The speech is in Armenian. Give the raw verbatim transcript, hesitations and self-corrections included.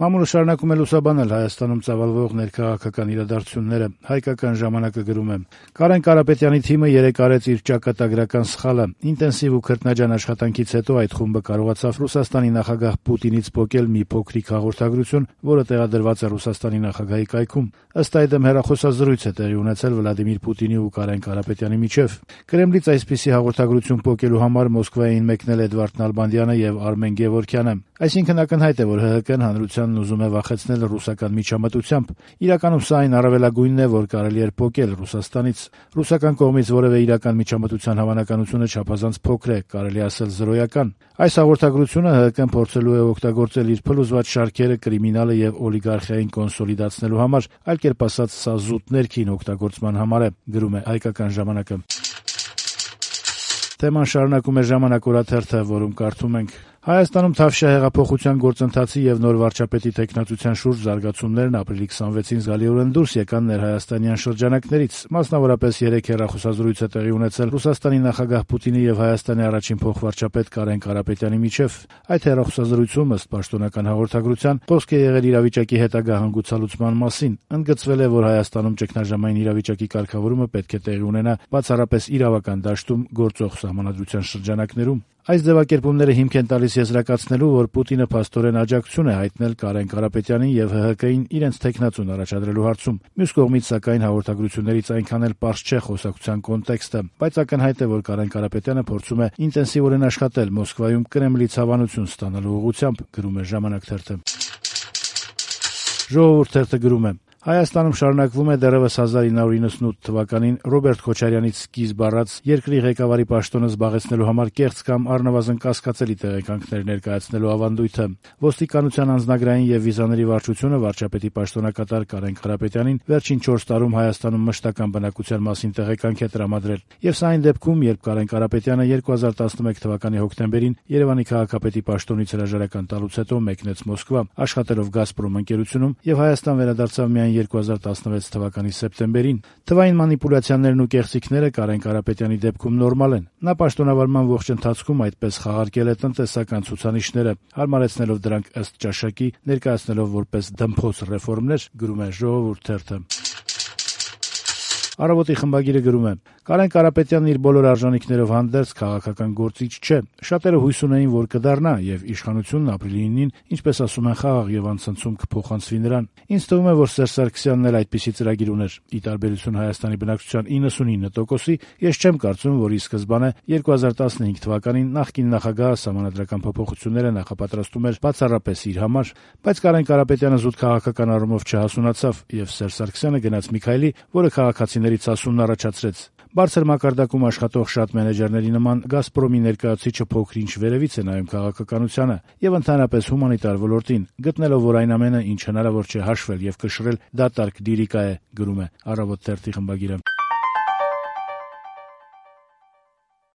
Մամուլը շարունակում է լուսաբանել Հայաստանում ծավալվող ներքաղաքական իրադարձությունները։ Հայկական ժամանակը գրում է. Կարեն Կարապետյանի թիմը երեկ արեց իր ճակատագրական սխալը։ Ինտենսիվ ու քրտնաջան աշխատանքից հետո այդ խումբը կարողացավ Ռուսաստանի նախագահ Պուտինից պոկել մի փոքրիկ հաղորդագրություն, որը տեղադրված է Ռուսաստանի նախագահի կայքում։ Ըստ այդմ հեռախոսազրույց է տեղի ունեցել Վլադիմիր Պուտինի ու Կարեն Կարապետյանի միջև։ Կրեմլից այսպիսի հաղորդագրություն պոկելու համար Մոսկվային մեկնել Էդվարդ Նալբանդյանը եւ Արմեն Գևորգյանը։ Այսինքն ակնհայտ է, որ ՀՀԿ-ն հանրությանն ուզում է վախեցնել ռուսական միջամտությամբ։ Իրականում սա այն առավելագույնն է, որ կարելի էր պոկել Ռուսաստանից։ Ռուսական կողմից որևէ իրական միջամտության հավանականությունը չափազանց փոքր է, կարելի ասել զրոյական։ Այս հաղորդագրությունը ՀՀԿ-ն փորձելու է օգտագործել իր փլուզված շարքերը կրիմինալը եւ օլիգարխիային կոնսոլիդացնելու համար, այլ կերպ ասած, սա զուտ ներքին օգտագործման համար է, գրում է Հայկական ժամանակը։ Թեման շարունակում է Ժամանակ օրաթերթը, որում կարդում ենք. Հայաստանում Թավշյա հեղափոխության գործընթացի եւ նոր վարչապետի տեխնացության շուրջ զարգացումներն ապրիլի քսանվեցին զգալիորեն դուրս եկան ներհայաստանյան շրջանակներից։ Մասնավորապես երեք հեռախոսազրույց է տեղի ունեցել Ռուսաստանի նախագահ Պուտինի եւ Հայաստանի առաջին փոխվարչապետ Կարեն Կարապետյանի միջև։ Այդ հեռախոսազրույցում, ըստ պաշտոնական հաղորդագրության, խոսք է եղել իրավիճակի հետագա հանգուցալուծման մասին։ Ընդգծվել է, որ Հայաստանում ճգնաժամային իրավիճակի կարգավորումը պետք է տեղի ունենա բացառապես իրավական դաշտում գործող սահմանադրության շրջանակներում։ Այս ձևակերպումները հիմք են տալիս եզրակացնելու, որ Պուտինը փաստորեն աջակցություն է հայտնել Կարեն Կարապետյանին եւ ՀՀԿ-ին իրենց տեխնացուն առաջադրելու հարցում։ Մյուս կողմից, սակայն, հաղորդագրություններից այնքան էլ պարզ չէ խոսակցության կոնտեքստը, բայց ակնհայտ է, որ Կարեն Կարապետյանը փորձում է ինտենսիվորեն աշխատել Մոսկվայում Կրեմլից հավանություն ստանալու ուղղությամբ, գրում է Ժամանակ թերթը։ Ժողովուրդ թերթը գրում է. Հայաստանում շարունակվում է դեռևս հազար ինը հարյուր իննսունութ թվականին Ռոբերտ Քոչարյանից սկիզբ առած երկրի ղեկավարի պաշտոնը զբաղեցնելու համար կեղծ կամ առնվազն կասկածելի տեղեկանքներ ներկայացնելու ավանդույթը։ Ոստիկանության անձնագրային եւ վիզաների վարչությունը վարչապետի պաշտոնակատար Կարեն Կարապետյանին վերջին չորս տարում Հայաստանում մշտական բնակության մասին տեղեկանք է տրամադրել։ Եվ սա այն դեպքում, երբ Կարեն Կարապետյանը երկու հազար տասնմեկ թվականի հոկտեմբերին Երևանի քաղաքապետի պաշտոնից հրաժարական տալուց հետո մեկնեց Մոսկվա, աշխատելով Գազպրոմ ընկերությունում եւ Հայաստան վերադարձավ միայն երկու հազար տասնվեց թվականի սեպտեմբերին։ Թվային մանիպուլյացիաներն ու կեղծիքները Կարեն Կարապետյանի դեպքում նորմալ են։ Նա պաշտոնավարման ողջ ընթացքում այդպես խաղարկել է տնտեսական ցուցանիշները, հարմարեցնելով դրանք ըստ ճաշակի, ներկայացնելով որպես դմփոց ռեֆորմներ, գրում է Ժողովուրդ թերթը։ Առավոտի խմբագիրը գրում է. Կարեն Կարապետյանն իր բոլոր արժանինքներով հանդերձ քաղաքական գործիչ չէ։ Շատերը հույս ունեին, որ կդառնա եւ իշխանությունն ապրիլի ինին, ինչպես ասում են, խաղաղ եւ անցնցում կփոխանցվի նրան։ Ինձ թվում է, որ Սերժ Սարգսյանն էլ այդպիսի ծրագիր ուներ։ Ի տարբերություն Հայաստանի բնակչության իննսունինը տոկոսի, ես չեմ կարծում, որ ի սկզբանե երկու հազար տասնհինգ թվականին նախկին նախագահը սահմանադրական փոփոխությունները նախապատրաստում էր բացառապես իր համար, բայց Կարեն Կարապետյանը զուտ քաղաքական առումով չհասունացավ եւ Սերժ Սարգսյանը գնաց մի քայլի, որը քաղաքացիներից հասունն առաջացրեց։ Բարձր մակարդակում աշխատող շատ մենեջերների նման Գազպրոմի ներկայացուցիչը փոքր-ինչ վերևից է նայում քաղաքականությանը եւ ընդհանրապես հումանիտար ոլորտին, գտնելով, որ այն ամենը, ինչ հնարավոր չէ հաշվել եւ կշռել, դատարկ լիրիկա է, գրում է Առավոտ թերթի խմբագիրը։